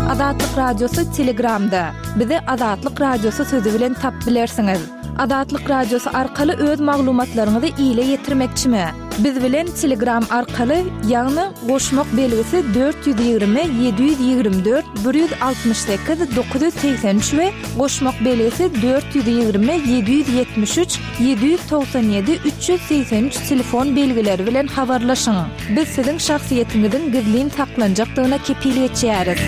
Azatlyk Radiosy Telegramda. Bizi Azatlyk Radiosy sözi bilen tap bilersiňiz. Azatlyk Radiosy arkaly öz maglumatlaryňyzy ile ýetirmekçimi? Biz bilen Telegram arkaly, ýagny goşmak belgisi 420 724 168 983 we goşmak belgisi 420 773 797 383 telefon belgileri bilen habarlaşyň. Biz siziň şahsyýetiňiziň gizlin saklanjakdygyna kepil geçýäris.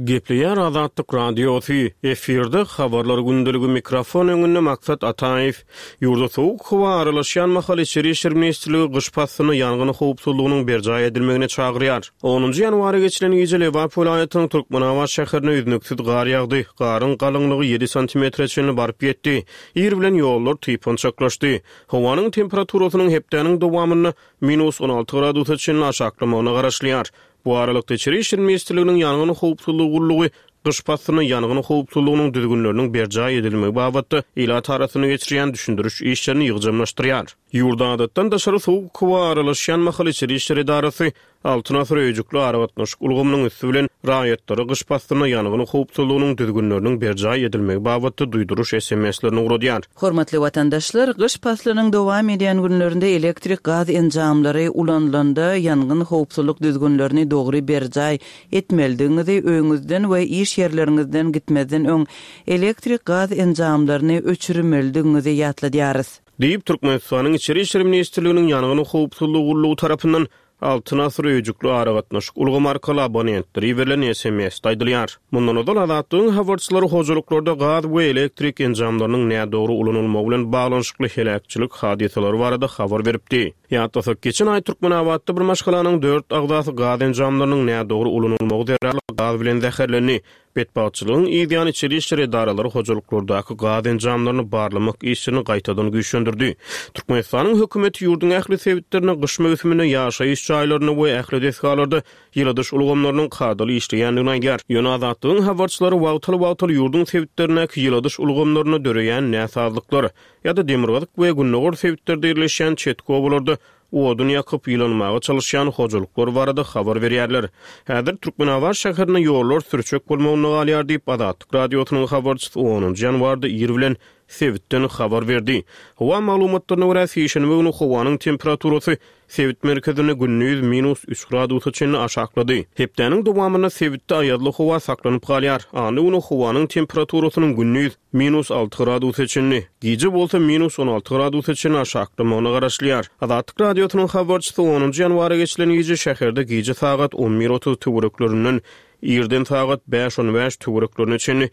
Gepleýär Azatlyk Radiosy, efirde Habarlar gündeligi mikrofon öňünde Maksat Ataýew. Ýurda sowuk howa aralaşýan mahaly Içeri işler ministrligi gyş paslynda ýangyn howpsuzlygynyň berjaý edilmegine çagyrýar. Onunjy ýanwara geçilen gije Lebap welaýatynyň Türkmenabat şäherine üznüksiz gar ýagdy. Garyň galyňlygy ýedi santimetre çenli baryp ýetdi. Ir bilen ýollar typançaklaşdy. Howanyň temperaturasynyň hepdäniň dowamynda minus 16 gradusa çenli aşaklamagyna garaşylýar. Bu aralykda, Içeri işler ministrliginiň Ýangyn howpsuzlygy gullugy gyş paslynda ýangyn howpsuzlygynyň düzgünleriniň berjaý edilmegi babatda ilat arasynda geçirýän düşündiriş işlerini ýygjamlaşdyrýar. Ýurda adatdan daşary sowuk howa aralaşýan mahaly Içeri işler edarasy Altyn asyr öýjükli aragatnaşyk ulgamynyň üsti bilen raýatlara gyş paslynda ýangyn howpsuzlygynyň düzgünleriniň berjaý edilmegi babatda duýduryş SMS-lerini ugradýar. Hormatly watandaşlar, gyş paslynyň dowam edýän günlerinde elektrik gaz enjamlary ulanylanda ýangyn howpsuzlyk düzgünlerini dogry berjaý etmelidigiňizi, öýüňizden we iş ýerleriňizden gitmezden öň elektrik gaz enjamlaryny öçürmelidigiňizi ýatladýarys. Diýip, Türkmenistanyň Içeri işler ministrliginiň Ýangyn howpsuzlygy gullugy tarapyndan Altyn asyr öýjükli aragatnaşyk ulgamy arkaly abonentlere iberilen SMS-de aýdylýar. Mundan ozal Azatlygyň habarçylary hojalyklarda gaz we elektrik enjamlarynyň nädogry ulanylmagy bilen baglanyşykly heläkçilik hadysalary barada habar beripdi. Ýatlasak, geçen aý Türkmenabatda bir maşgalanyň dört agzasy gaz enjamlarynyň nädogry ulanylmagy zerarly gaz bilen zäherlendi. Betbagtçylygyň yz ýany içeri işler edaralary hojalyklardaky gaz enjamlaryny barlamak işlerini gaýtadan güýçlendirdi. Türkmenistanyň hökümeti ýurduň ähli sebitlerinde gyş möwsüminde ýaşaýyş jaýlarynda we ähli desgalarda ýyladyş ulgamlarynyň kadaly işleýändigini aýdýar. Ýöne Azatlygyň habarçylary wagtal-wagtal ýurduň sebitlerindäki ýyladyş ulgamlarynda döreýän näsazlyklar ýa-da demirgazyk we gündogar sebitlerde ýerleşýän çetki obalarda odun ýakyp, ýylanmaga çalyşýan hojalyklar barada habar berýärler. Häzir Türkmenabat şäherinde ýollar sürçek bolmagynda galýar diýip, Azatlyk Radiosynyň habarçysy onunjy ýanwarda ir bilen sebitden habar berdi. Howa maglumatlaryna görä, sişenbe güni howanyň temperaturasy sebit merkezinde gündiz minus üç gradusa çenli aşaklady. Hepdäniň dowamynda sebitde aýazly howa saklanyp galýar. Anna güni howanyň temperaturasynyň gündiz minus alty gradusa çenli, gije bolsa minus 16 gradusa çenli aşaklamagyna garaşylýar. Azatlyk Radiosynyň habarçysy onunjy ýanwara geçilen gije şäherde gije sagat on bir otuz töwereklerinden irden sagat bäş on bäş töwereklerine çenli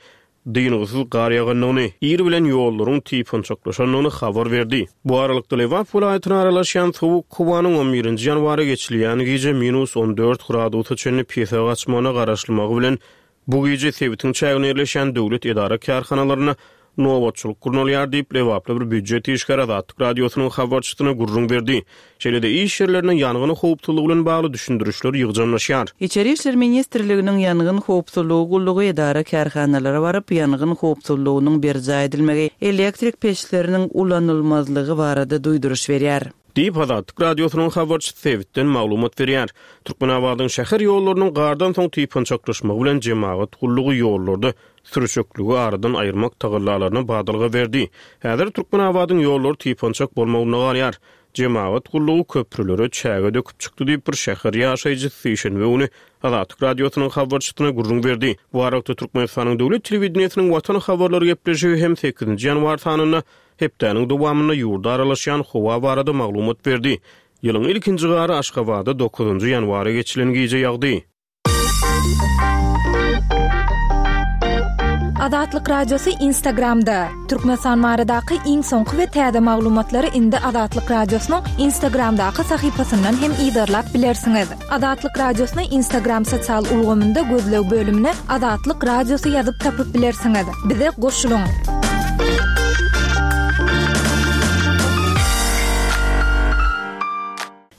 dyngysyz gar ýagandygyny, ir bilen ýollaryň typançaklaşandygyny habar berdi. Bu aralykda, Lebap welaýatyna aralaşýan sowuk howanyň on birinji ýanwara geçilýän gije minus 14 gradusa çenli pese gaçmagyna garaşylmagy bilen, Bu gije sebitiň çäginde ýerleşýän döwlet edara-kärhanalarynda nobatçylyk gurnalýar diýip, lebaply bir býujet işgäri Azatlyk Radiosynyň habarçysyna gürrüň berdi. Şeýle-de, iş ýerlerinde ýangyn howpsuzlygy bilen bagly düşündirişler ýygjamlaşýar. Içeri işler ministrliginiň Ýangyn howpsuzlygy gullugy edara-kärhanalara baryp, ýangyn howpsuzlygynyň berjaý edilmegi, elektrik peçleriniň ulanylmazlygy barada duýduryş berýär. Diýip, Azatlyk Radiosynyň habarçysy sebitden maglumat berýär. Türkmenabadyň şäher ýollarynyň gardan soň typançaklaşmagy bilen jemagat gullugy ýollarda sürçekligi aradan aýyrmak tagallalaryna badalga berdi. Häzir Türkmenabadyň ýollary typançak bolmagynda galýar. Jemagat gullugy köprülere çäge döküp çykdy diýip, bir şäher ýaşaýjysy sişenbe güni Azatlyk Radiosynyň habarçysyna gürrüň berdi. Bu aralykda, Türkmenistanyň döwlet telewideniýesiniň Watan habarlary gepleşigi hem sekizinji ýanwar sanynda Hepdäniň dowamynda ýurda aralaşýan howa barada maglumat berdi. Ýylyň ilkinji gary Aşgabatda dokuzynjy ýanwara geçilen gije ýagdy. Azatlyk Radiosy Instagramda, Türkmenistan baradaky iň soňky we täze maglumatlary indi Azatlyk Radiosynyň Instagramdaky sahypasyndan hem yzarlap bilersiňiz. Azatlyk Radiosyny Instagram sosial ulgamynda gözleg bölümine Azatlyk Radiosy ýazyp tapyp bilersiňiz. Bize goşulyň!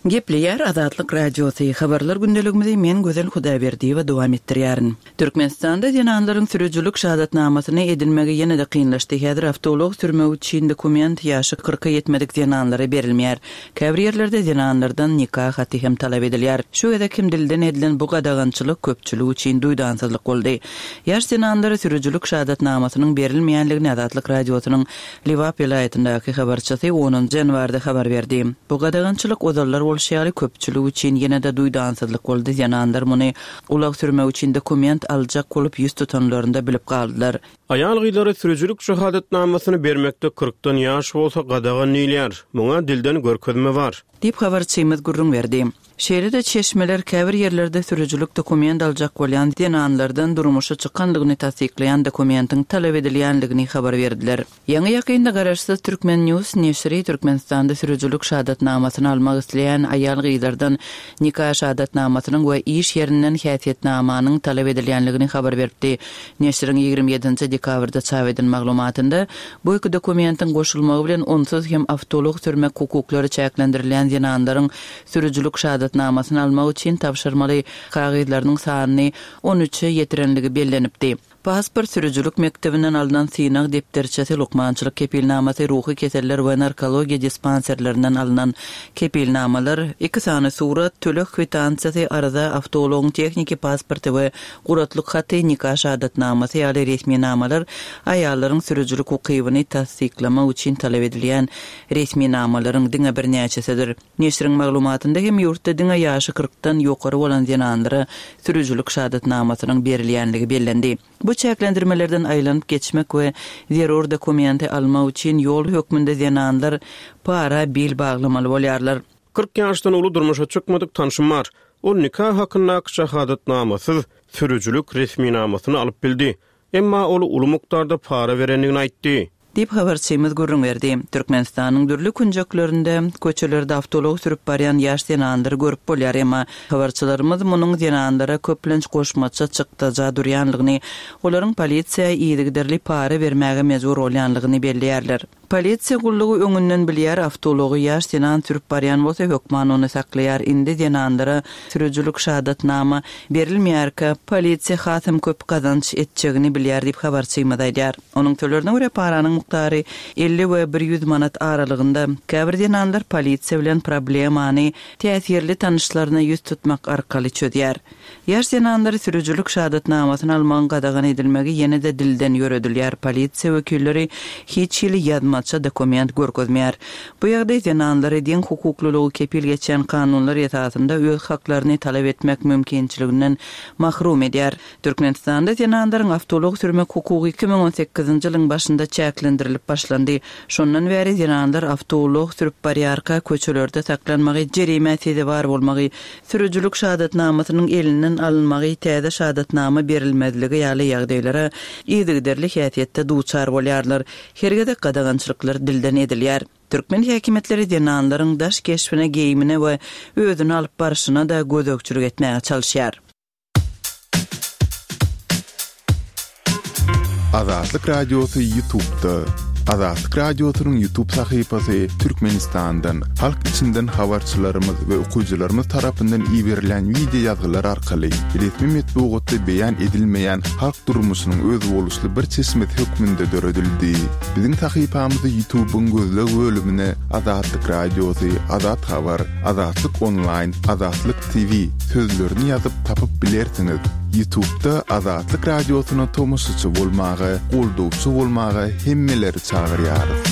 Gepleýär Azatlyk Radiosy, Habarlar gündeligimizi men Gözel Hudaýberdiýewa dowam etdirýärin. Türkmenistanda zenanlaryň sürüjilik şahadatnamasyny edinmegi ýene-de kynlaşdy. Häzir awtoulag sürmek üçin dokument ýaşy kyrka ýetmedik zenanlara berilmeýär. Käbir ýerlerde zenanlardan nika haty hem talap edilýär. Şu gezek hem dilden edilen bu gadagançylyk köpçülik üçin duýdansyzlyk boldy. Ýaş zenanlara sürüjilik şahadatnamasynyň berilmeýänligini Azatlyk Radiosynyň Lebap welaýatyndaky habarçysy onunjy ýanwarda habar berdi. Bu gadagançylyk ozallar bolşy ýaly köpçülik üçin ýene-de duýdansyzlyk boldy, zenanlar muny ulag sürmek üçin dokument aljak bolup ýüz tutanlarynda bilip galdylar. Aýal-gyzlara sürüjilik şahadatnamasyny bermekde kyrkdan ýaş bolsa gadagan diýilýär. Muňa dilden görkezme bar. Diýip, habarçymyz gürrüň berdi. Şeýle-de çeşmeler käbir ýerlerde sürüjilik dokument aljak bolýan zenanlardan durmuşa çykandygyny tassyklaýan dokumentiň talap edilýändigini habar berdiler. Ýaňy-ýakynda garaşsyz Turkmen News neşiri Türkmenistanda sürüjilik şahadatnamasyny almak isleýän aýal-gyzlardan nika şahadatnamasynyň we iş ýerinden häsiýetnamanyň talap edilýändigini habar beripdi. Neşiriň 27 nji dekabrda çap eden maglumatynda bu iki dokumentiň goşulmagy bilen onsuz hem awtoulag sürmek hukuklary çäklendirilýän zenanlaryň sürüjilik şahadatnamasyny almak üçin tabşyrmaly kagyzlarynyň sanyny on üçe ýetirenligi bellenipdi. Pasport, sürüjilik mekdebinden alnan synag depderçesi, lukmançylyk kepilnamasy, ruhy keseller we narkologiýa dispanserlerinden alnan kepilnamalar, iki sany surat, töleg kwitansiýasy, arza, awtoulagyň tehniki pasporty we guratlyk haty, nika şahadatnamasy ýaly resminamalar aýallaryň sürüjilik ukybyny tassyklamak üçin talap edilýän resminamalaryň diňe birnäçesidir. Neşiriň maglumatynda hem ýurtda diňe ýaşy kyrkdan ýokary bolan zenanlara sürüjilik şahadatnamasynyň berilýänligi bellendi. Bu çäklendirmelerden aýlanyp geçmek we zerur dokumenti almak üçin ýol hökmünde zenanlar para bil baglamaly bolýarlar. 40 ýaşdan uly durmuşa çykmadyk tanşym bar. Ol nika hakyndaky şahadatnamasyz sürüjilik resminamasyny alyp bildi. Emma ol uly mukdarda para berendigini aýtdy. Diýip, habarçymyz gürrüň berdi. Türkmenistanyň dürli künjeklerinde, köçelerde awtoulag sürüp barýan ýaş zenanlary görüp bolýar, emma habarçylarymyz munuň zenanlara köplenç goşmaça çykdaja durýanlygyny, olaryň polisiýa yzygiderli para bermäge mejbur bolýanlygyny belleýärler. Polisiýa gullugy öňünden bilýär, awtoulagy ýaş zenan sürüp barýan bolsa hökman ony saklaýar, indi zenanlara sürüjilik şahadatnama berilmeýärkä polisiýa hasam köp gazanç etjegini bilýär diýip habarçymyz aýdýar. Onuň sözlerine görä paranyň mukdary 50 we 100 manat aralygynda. Käbir zenanlar polisiýa bilen problemany täsirli tanyşlaryna ýüz tutmak arkaly çözýär. Ýaş zenanlara sürüjilik şahadatnamasyny almagyň gadagan edilmegi ýene-de dilden ýöredilýär, polisiýa wekilleri hiç hili ýazmaça dokument görkezmeýär. Bu ýagdaý zenanlary deň hukuklylygy kepil geçýän kanunlar esasynda öz haklaryny talap etmek mümkinçiliginden mahrum edýär. Türkmenistanda zenanlaryň awtoulag sürmek hukugy 2018-nji ýylyň başynda çäklendirilip başlandy. Şondan bäri zenanlar awtoulag sürüp barýarka köçelerde saklanmagy, jerimä sezewar bolmagy, Sürüjilik şahadatnamasynyň elinden alynmagy, täze şahadatnama berilmezligi ýaly ýagdaýlara yzygiderli häsiýetde duçar bolýarlar. Her gezek gadagançylyklar dilden edilýär. Türkmen häkimiýetleri zenanlaryň daş keşbine, geýimine we özüni alyp barşyna-da gözegçilik etmäge çalyşýar. Azatlyk Radiosy Ýutubda. Azatlyk Radiosynyň Ýutub sahypasy Türkmenistandan, halk içinden habarçylarymyz we okyjylarymyz tarapyndan iberilen wideo ýazgylar arkaly resmi metbugatda beýan edilmeýän halk durmuşynyň özboluşly bir çeşmesi hökmünde döredildi. Biziň sahypamyzy Ýutubyň gözleg bölümine Azatlyk Radiosy, Azat Habar, Azatlyk Onlaýn, Azatlyk TV sözlerini ýazyp tapyp bilersiňiz. Ýutubda Azatlyk Radiosyna tomaşaçy bolmaga, goldawçy bolmaga hemmeleri çagyrýarys.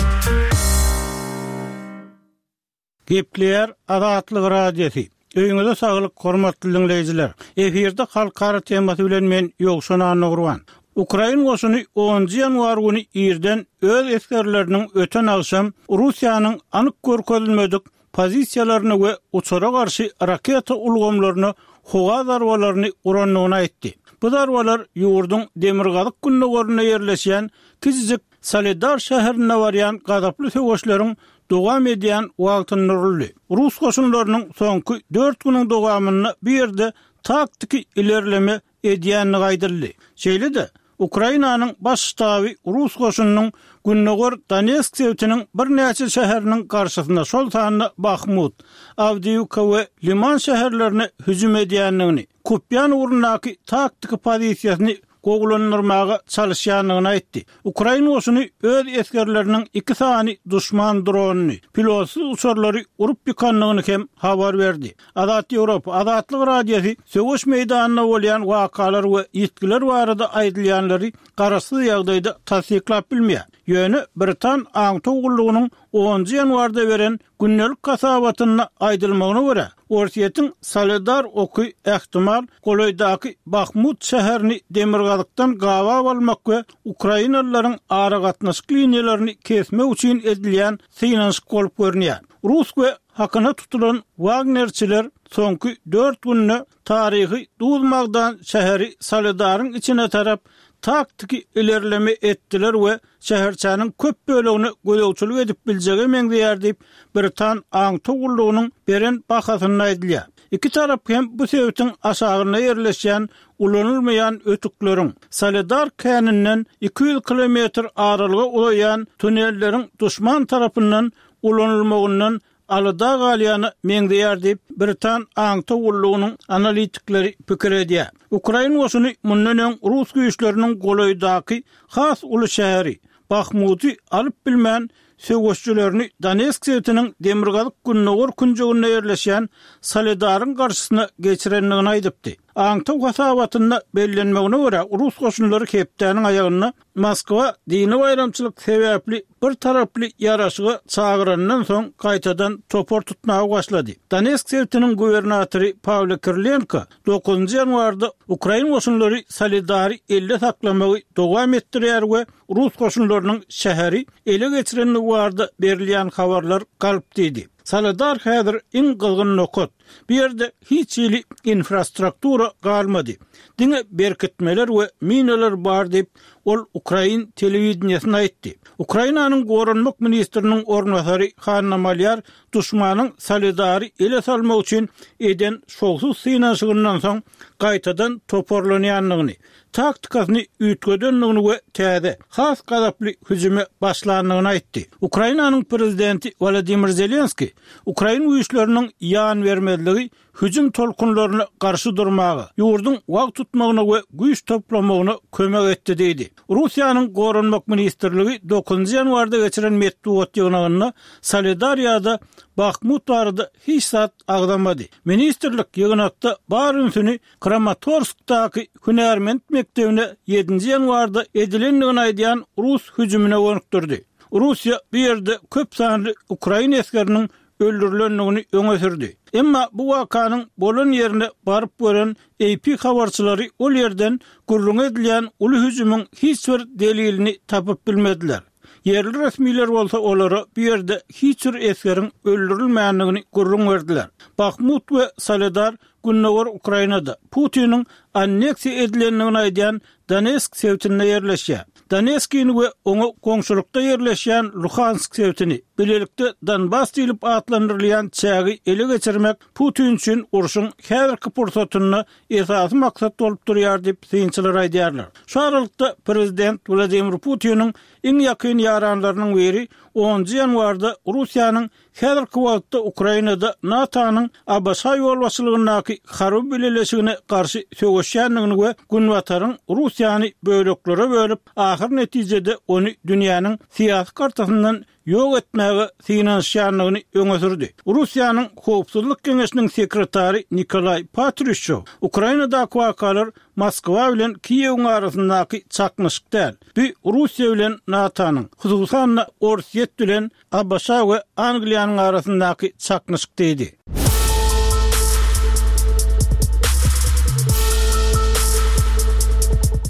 Gepleýär Azatlyk Radiosy. Öýüňize saglyk hormatly diňleýjiler. Efirde halkara temasy bilen men Ýowşan Annagurban. Ukrain goşuny onunjy ýanwar güni irden öz esgerleriniň öten agşam Russiýanyň anyk görkezilmedik pozisiýalaryna we uçara garşy raketa ulgamlaryna howa zarbalaryny urandygyny aýtdy. Bu zarbalar ýurduň demirgazyk-gündogarynda ýerleşýän kiçijik Soledar şäherinde barýan gazaply söweşleriň dowam edýän wagtynda uruldy. Rus goşunlarynyň soňky dört günüň dowamynda bu ýerde taktiki ilerleme edýändigi aýdyldy. Şeýle-de, Ukrainanyň Baş ştaby rus goşunynyň gündogar Donetsk sebitiniň birnäçe şäheriniň garşysyna, şol sanda Bahmut, Awdiýiwka we Liman şäherlerine hüjüm edýändigini, Kupýan ugrundaky taktiki pozisiýasyny gowulandyrmaga çalyşýandygyny aýtdy. Ukrain goşuny öz esgerleriniň iki sany duşman dronyny, pilotsyz uçarlary urup ýykandygyny hem habar berdi. Azat Ýewropa, Azatlyk Radiosy söweş meýdanynda bolýan wakalar we ýitgiler barada aýdylýanlary garaşsyz ýagdaýda tassyklap bilmeýär. Ýöne britan aňtaw gullugynyň onunjy ýanwarda beren Gündelik hasabatynda aýdylmagyna görä, Orsýetiň Soledar oky ähtimal golaýdaky Bahmut şäherini demirgazykdan gabap almak we ukrainalylaryň aragatnaşyk liniýalaryny kesmek üçin edilýän synanyşyk bolup görünýär. Rus we hakyna tutulan wagnerçiler soňky dört günde taryhy duz-magdan şäheri Soledaryň içine tarap taktiki ilerleme etdiler we şäherçäniň köp bölegine gözegçilik edip biljege meňzeýär diýip, britan aňtaw gullugynyň beren bahasynda aýdylýar. Iki tarap hem bu sebitiň aşagynda ýerleşýän ulanylmaýan ötükleriň, Soledar käninden 200 kilometr aralyga uzaýan tunelleriň duşman tarapyndan ulanylmagyndan alada galýana meňzeýär diýip, britan aňtaw gullugynyň analitikleri pikir edýär. Ukrain goşuny mundan öň rus güýçleriniň golaýdaky has uly şäheri, Bahmuty alyp bilmän, söweşijilerini Donetsk sebitiniň demirgazyk-gündogar künjeginde ýerleşýän Soledaryň garşysyna geçirendigini aýdypdy. Aňtaw hasabatynda bellenmegine görä, rus goşunlary hepdäniň aýagynda Moskwa dini baýramçylyk sebäpli bir taraply ýaraşyga çagyrandan soň gaýtadan topar tutmaga başlady. Donetsk sebitiniň gubernatory Pawlo Kirilenko dokuzynjy ýanwarda ukrain goşunlary Soledary elde saklamagy dowam etdirýär we rus goşunlarynyň şäheri ele geçirendigi barada berilýän habarlar galp diýdi. Soledar häzir iň gyzgyn nokat. Bu ýerde hiç hili infrastruktura galmady. Diňe berkitmeler we minalar bar diýip, ol ukrain telewideniýesine aýtdy. Ukrainanyň goranmak ministriniň orunbasary Hanna Malýar duşmanyň Soledary ele salmak üçin eden şowsuz synanyşygyndan soň gaýtadan toparlanýandygyny, taktikasyny üýtgedendigini we täze, has gazaply hüjüme başlandygyny aýtdy. Ukrainanyň prezidenti Wolodymyr Zelenskiý ukrain güýçleriniň ýan bermezligi hüjüm tolkunlaryna garşy durmaga, ýurduň wagt tutmagyna we güýç toplamagyna kömek etdi diýdi. Russiýanyň Goranmak ministrligi dokuzynjy ýanwarda geçiren metbugat ýygnagynda Soledar ýa-da Bahmut barada hiç zat agzamady. Ministrlik ýygnakda bar ünsüni Kramatorskdaky hünärment mekdebine ýedinji ýanwarda edilendigini aýdýan rus hüjümine gönükdirdi. Russiýa bu ýerde köp sanly ukrain esgeriniň öldürilendigini öňe sürdi. Emma bu wakanyň bolan ýerine baryp gören AP habarçylary ol ýerden gürrüňi edilýän uly hüjümiň hiç bir delilini tapyp bilmediler. Ýerli resmiler bolsa olara bu ýerde hiç bir esgeriň öldürilmändigini gürrüň berdiler. Bahmut we Soledar gündogar Ukrainada, Putiniň anneksiýa edilendigini aýdýan Donetsk sebitinde ýerleşýär. Donetskini we oňa goňşulykda ýerleşýän Luhansk sebitini, bilelikde Donbas diýlip atlandyrylýan çägi ele geçirmek Putin üçin urşuň häzirki pursatynda esasy maksat bolup durýar diýip, synçylar aýdýarlar. Şu aralykda, prezident Wladimir Putiniň iň ýakyn ýaranlarynyň biri onunjy ýanwarda Russiýanyň Häzirki wagtda Ukrainada NATO-nyň ABŞ ýolbaşçylygyndaky harby bileleşigine garşy söweşýändigini we Günbataryň Russiýany böleklere bölüp, ahyr netijede ony dünýäniň syýasy kartasyndan ýok etmäge synanyşýandygyny öňe sürdi. Russiýanyň Howpsuzlyk geňeşiniň sekretary Nikolaý Patruşew Ukrainadaky wakalar Moskwa bilen Kiýewiň arasyndaky çaknyşyk däl, bu Russiýa bilen NATO-nyň, hususan-da Orsýet bilen ABŞ we Angliýanyň arasyndaky çaknyşyk diýdi.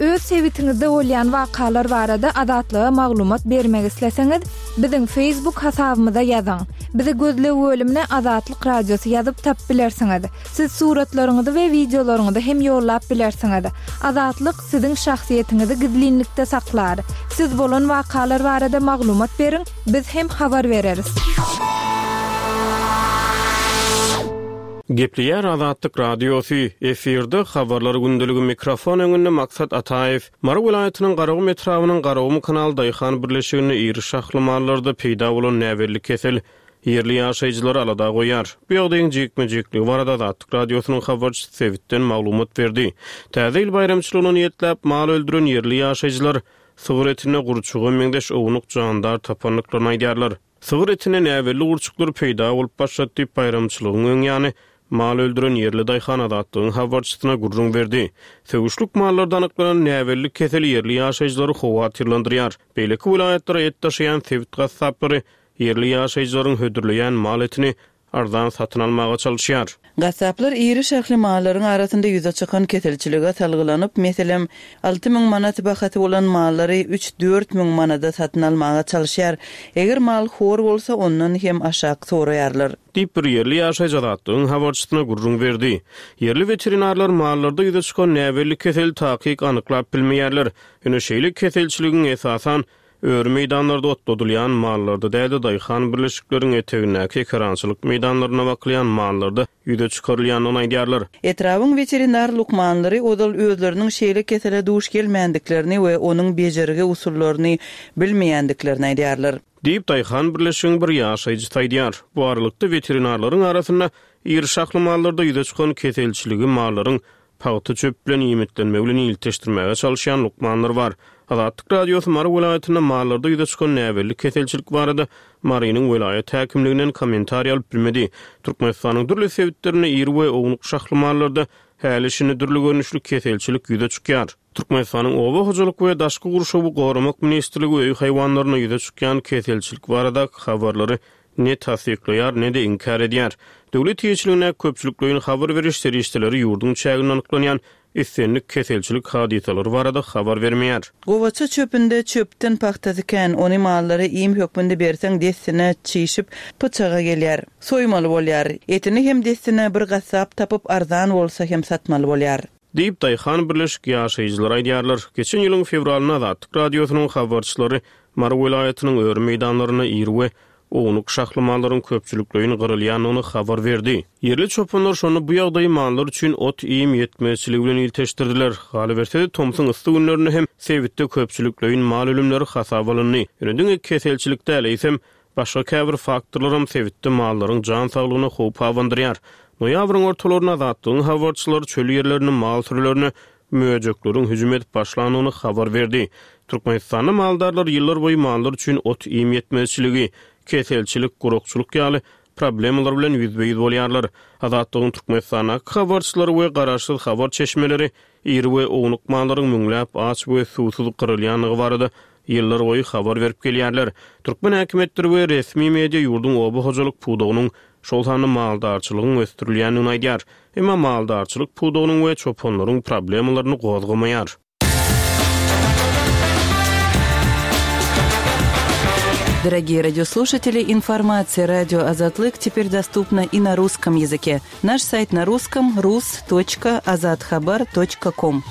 Öz sebitiňizde bolýan wakalar barada Azatlyga maglumat bermek isleseňiz, biziň Facebook hasabymyza ýazyň. Bizi gözleg bölümine Azatlyk Radiosy ýazyp tapyp bilersiňiz. Siz suratlaryňyzy we wideolaryňyzy hem ýollap bilersiňiz. Azatlyk siziň şahsyýetiňizi gizlinlikde saklar. Siz bolan wakalar barada maglumat beriň, biz hem habar bereris. Gepleýär Azatlyk Radiosy, efirde Habarlar gündeligi mikrofon öňünde Maksat Ataýew. Mary welaýatynyň Garagum etrabynyň Garagum kanal daýhan birleşiginde iri şahly mallarda peýda bolan näbelli kesel ýerli ýaşaýjylary alada goýýar. Bu ýagdaýyň jikme-jikligi barada Azatlyk Radiosynyň habarçysy sebitden maglumat berdi. Täze ýyl baýramçylygyna niýetläp mal öldüren ýerli ýaşaýjylar sygyr etinde gurçuga meňzeş ownuk jandar tapandyklaryny aýdýarlar. Sygyr etinde näbelli gurçuklar peýda bolup başlady diýip, baýramçylygyň öň ýany mal öldüren ýerli daýhan Azatlygyň habarçysyna gürrüň berdi. Söwüşlik mallarda anyklanan näbelli kesel ýerli ýaşaýjylary howatyrlandyrýar. Beýleki welaýatlara et daşaýan sebit gassaplary ýerli ýaşaýjylaryň hödürleýän mal etini arzan satyn almaga çalyşýar. Gassaplar iri şahly mallaryň arasynda ýüze çykan keselçilige salgylanyp, meselem, 6000 manat bahasy bolan mallary üç-dört müň manada satyn almaga çalyşýar. Eger mal hor bolsa, ondan hem aşak soraýarlar. Diýip, bir ýerli ýaşaýjy Azatlygyň habarçysyna gürrüň berdi. Ýerli weterinarlar mallarda ýüze çykan näbelli keseli takyk anyklap bilmeýärler. Ýöne şeýle keselçiligiň, esasan, Öri meýdanlarda otladylýan mallarda däl-de, daýhan birleşikleriň etegindäki ekerançylyk meýdanlarynda bakylýan mallarda ýüze çykarylýandygyny aýdýarlar. Etrabyň weterinar lukmanlary ozal özleriniň şeýle kesele duş gelmändiklerini we onuň bejergi usullaryny bilmeýändiklerini aýdýarlar. Diýip, daýhan birleşigiň bir ýaşaýjysy aýdýar. Bu aralykda, weterinarlaryň arasynda iri şahly mallarda ýüze çykan keselçiligi mallaryň Pagta çöp bilen iýmitlenmegi bilen ilteşdirmäge çalyşýan lukmanlar bar. Azatlyk Radiosy Mary welaýatynda mallarda ýüze çykan näbelli keselçilik barada Marynyň welaýat häkimliginden kommentariý alyp bilmedi. Türkmenistanyň dürli sebitlerinde iri we ownuk şahly mallarda häli-şindi dürli görnüşli keselçilik ýüze çykýar. Türkmenistanyň Oba hojalyk we daşky gurşawy goramak ministrligi öý haýwanlarynda ýüze çykýan keselçilik baradaky habarlary ne tassyklaýar, ne-de inkär edýär. Döwlet eýeçiligindäki köpçülikleýin habar beriş serişdeleri ýurduň çäginde anyklanýan islendik keselçilik hadysalary barada habar bermeýär. Gowaça çöpünde çöpden pagtasy kän, ony mallara iým hökmünde berseň dessine çişip, pyçaga gelýär. Soýmaly bolýar. Etini hem dessine bir gassap tapyp arzan bolsa hem satmaly bolýar. Diýip, daýhan birleşik ýaşaýjylary aýdýarlar. Geçen ýylyň fewralynda Azatlyk Radiosynyň habarçylary Mary welaýatynyň öri meýdanlarynda iri we ownuk şahly mallaryň köpçülikleýin gyrylýandygyny habar berdi. Ýerli çopanlar şonda bu ýagdaýy mallar üçin ot-iým ýetmezçiligi bilen ilteşdirdiler. Galyberse-de, tomsuň yssy günlerinde hem sebitde köpçülikleýin mal ölümleri hasaba alyndy. Ýöne diňe keselçilik däl, eýsem, Başga käbir faktorlaram sebitde mallaryň jan saglygyna howp abandyrýar. Noýabryň ortalarynda Azatlygyň habarçylary çöl ýerlerinde mal sürülerine möjekleriň hüjüm edip başlandygyny habar berdi. Türkmenistanda maldarlar ýyllarboýy mallar üçin ot-iým ýetmezçiligi, keselçilik, gurakçylyk ýaly problemalar bilen ýüzbe-ýüz bolýarlar. Azatlygyň Türkmenistandaky habarçylary we garaşsyz habar çeşmeleri iri we ownuk mallaryň müňläp aç we suwsuz gyrylýandygy barada ýyllarboýy habar berip gelýärler. Türkmen häkimiýetleri we resmi media ýurduň oba hojalyk pudagynyň, şol sanda maldarçylygyň ösdürilýändigini aýdýar. Emma maldarçylyk pudagynyň we çopanlaryň problemalaryny gozgamaýar. Дорогие радиослушатели, информация радио Азатлык теперь доступна и на русском языке. Наш сайт на русском rus.azathabar.com.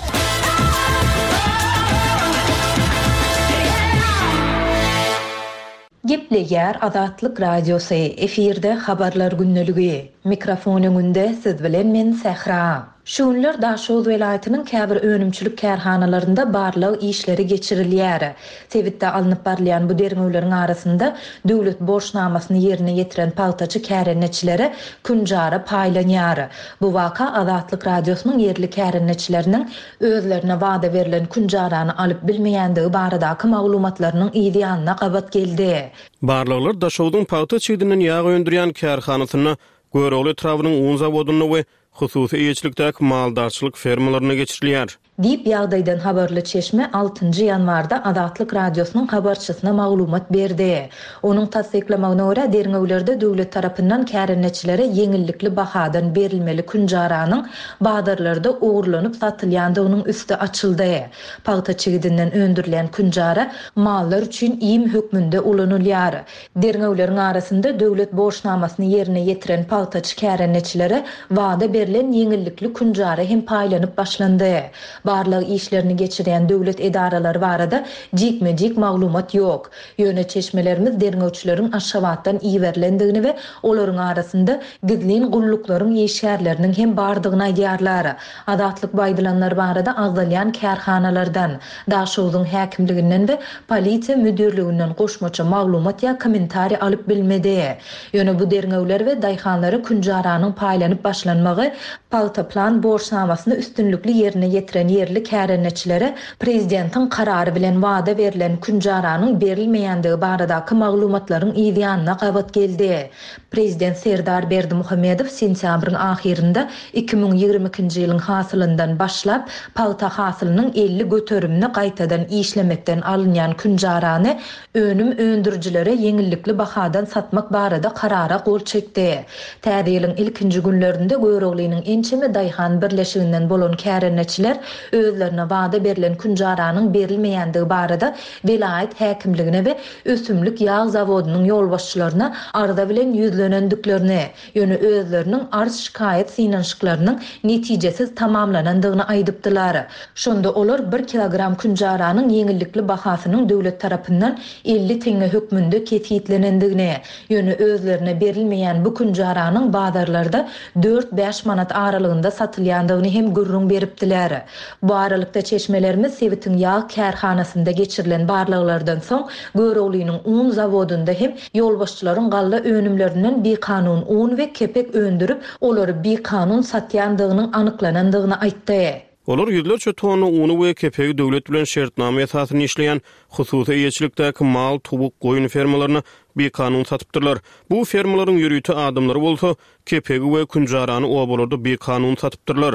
Gepleýär Azatlyk Radiosy, efirde Habarlar gündeligi. Mikrofon öňünde siz bilen men Sähra. Şu günler Daşoguz welaýatynyň käbir önümçilik kärhanalarynda barlag işleri geçirilýär. Sebitde alnyp barylýan bu derňewleriň arasynda döwlet borçnamasyny ýerine ýetiren pagtaçy kärendeçilere künjara paýlanýar. Bu waka Azatlyk Radiosynyň ýerli kärendeçileriniň özlerine wada berlen künjarany alyp bilmeýändigi baradaky maglumatlarynyň yz ýanyna gabat geldi. Barlaglar Daşogzuň pagta çigdinden ýag öndürýän kärhanasynda, Görogly etrabynyň un zawodynda we hususy eýeçilikdäki maldarçylyk fermalarynda geçirilýär. Diýip, ýagdaýdan habarly çeşme altynjy ýanwarda Azatlyk Radiosynyň habarçysyna maglumat berdi. Onuň tassyklamagyna görä, derňewlerde döwlet tarapyndan kärendeçilere ýeňillikli bahadan berilmeli künjaranyň bazarlarda ogurlanyp satylýandygynyň üsti açyldy. Pagta çigidinden öndürilýän künjara mallar üçin iým hökmünde ulanylýar. Derňewleriň arasynda döwlet borçnamasyny ýerine ýetiren pagtaçy kärendeçilere wada berlen ýeňillikli künjara hem paýlanyp başlandy. Barlag işlerini geçirýän döwlet edaralary barada jikme-jik maglumat ýok. Ýöne çeşmelerimiz derňewçileriň Aşgabatdan iberilendigini we olaryň arasynda gizlin gulluklaryň işgärleriniň hem bardygyny aýdýarlar. Azatlyk bu aýdylanlar barada agzalýan kärhanalardan, Daşogzuň häkimliginden we polisiýa müdirliginden goşmaça maglumat ýa kommentariý alyp bilmedi. Ýöne bu derňewler we daýhanlara künjaranyň paýlanyp başlanmagy pagta plan borçnamasyny üstünlikli ýerine ýetiren ýerli kärendeçilere prezidentiň karary bilen wada berlen künjaranyň berilmeýändigi baradaky maglumatlaryň yzýanyna gabat geldi. Prezident Serdar Berdimuhamedow sentýabryň ahyrynda 2022-nji ýylyň hasylyndan başlap, pagta hasylynyň 50 göterimini gaýtadan işlemekden alynýan künjarany önüm öndürijilere ýeňillikli bahadan satmak barada karara gol çekdi. Täze ýylyň ilkinji günlerinde Göroglynyň ençeme daýhan birleşiginden bolan kärendeçiler özlerine wada berlen künjaranyň berilmeýändigi barada welaýat häkimligine we ösümlik ýag zawodynyň ýolbaşçylaryna arza bilen ýüzlenendiklerini, ýöne özleriniň arz-şikaýat synanyşyklarynyň netijesiz tamamlanandygyny aýdypdylar. Şonda olar bir kilogram künjaranyň ýeňillikli bahasynyň döwlet tarapyndan 50 teňňe hökmünde kesgitlenendigini, ýöne özlerine berilmeýän bu künjaranyň bazarlarda dört-bäş manat aralygynda satylýandygyny hem gürrüň beripdiler. Bu aralykda, çeşmelerimiz sebitiň ýag kärhanasynda geçirilen barlaglardan soň, Göroglynyň un zawodynda hem ýolbaşçylaryň galla önümlerinden bikanun un we kepek öndürip, olary bikanun satýandygynyň anyklanandygyny aýtdy. Olar ýüzlerçe tonna uny we kepegi döwlet bilen şertnama esasynda işleýän hususy eýeçilikdäki mal, towuk, goýun fermalaryna bikanun satypdyrlar. Bu fermalaryň ýörite adamlary bolsa, kepegi we künjarany obalarda bikanun satypdyrlar.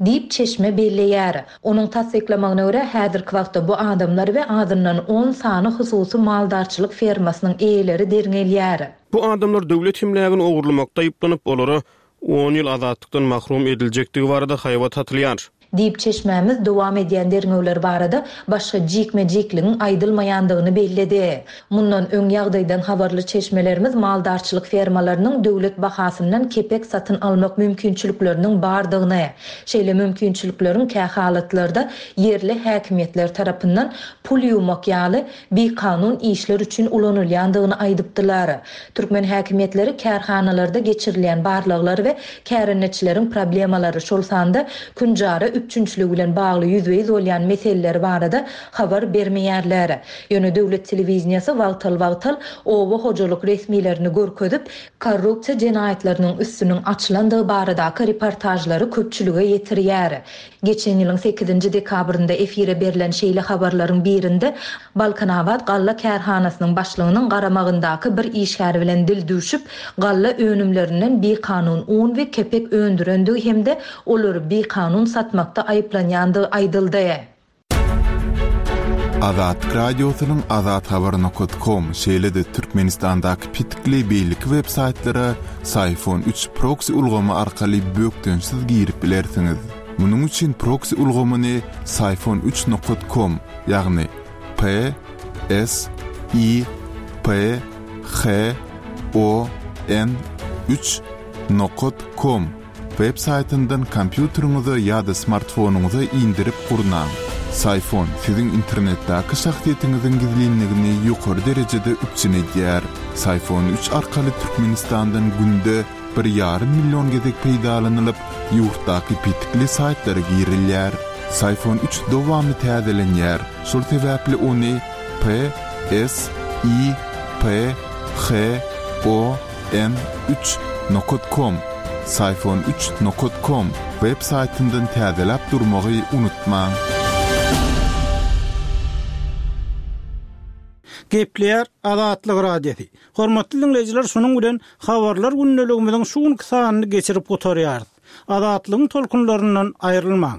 Diýip, çeşme belleýär. Onuň tassyklamagyna görä, häzirki wagtda bu adamlar we azyndan on sany hususy maldarçylyk fermasynyň eýeleri derňelýär. Bu adamlar döwlet emlägini ogurlamakda aýyplanyp, olara on ýyl azatlykdan mahrum ediljekdigi barada haýbat atylýar. Diýip, çeşmämiz dowam edýän derňewler barada başga jikme-jikligiň aýdylmaýandygyny belledi. Mundan öň ýagdaýdan habarly çeşmelerimiz maldarçylyk fermalarynyň döwlet bahasyndan kepek satyn almak mümkinçilikleriniň bardygyny, şeýle mümkinçilikleriň kähalatlarda ýerli häkimiýetler tarapyndan pul ýuwmak ýaly bikanun işler üçin ulanylýandygyny aýdypdylar. Türkmen häkimiýetleri kärhanalarda geçirilýän barlaglar we kärendeçileriň problemalary, şol sanda künjara üpjünçiligi bilen bagly ýüzbe-ýüz bolýan meseleleri barada habar bermeýärler. Ýöne döwlet telewideniýesi wagtal-wagtal oba hojalyk resmilerini görkezip, korrupsiýa jenaýatlarynyň üstüniň açylandygy baradaky reportažlary köpçülige ýetirýär. Geçen ýylyň sekizinji dekabrynda efire berlen şeýle habarlaryň birinde Balkanabat galla kärhanasynyň başlygynyň garamagyndaky bir işgär bilen dil düwşüp, galla önümlerinden bikanun un we kepek öndürendigi hem-de olary bikanun satmakda aýyplanýandygy aýdyldy. Azatlyk Radiosynyň Azathabar nokat kom, şeýle-de Türkmenistandaky petikli beýleki web saýtlara Syfon üç proksi ulgamy arkaly bökdençsiz girip bilersiňiz. Munuň üçin proksi ulgamyny Syfon üç nokat kom, ýagny P S I P H O N üç nokat kom Web saýtyndan kompýuteriňize ýa-da smartfonyňyza indirip gurnaň. Syfon siziň internetdäki şahsyýetiňiziň gizlinligini ýokary derejede üpjün edýär. Syfon üç arkaly Türkmenistandan günde bir ýarym million gezek peýdalanylyp, ýurtdaky petikli saýtlara girilýär. Syfon üç dowamly täzelenýär, şol sebäpli ony P S I P H O N üç nokat kom Syfon üç nokat kom web saýtyndan täzeläp durmagy unutmaň. Gepleýär Azatlyk Radiosy. Hormatly diňleýjiler şunuň bilen Habarlar gündeligimiziň şu günki sanyny geçirip gutarýarys. Azatlygyň tolkunlaryndan aýrylmaň.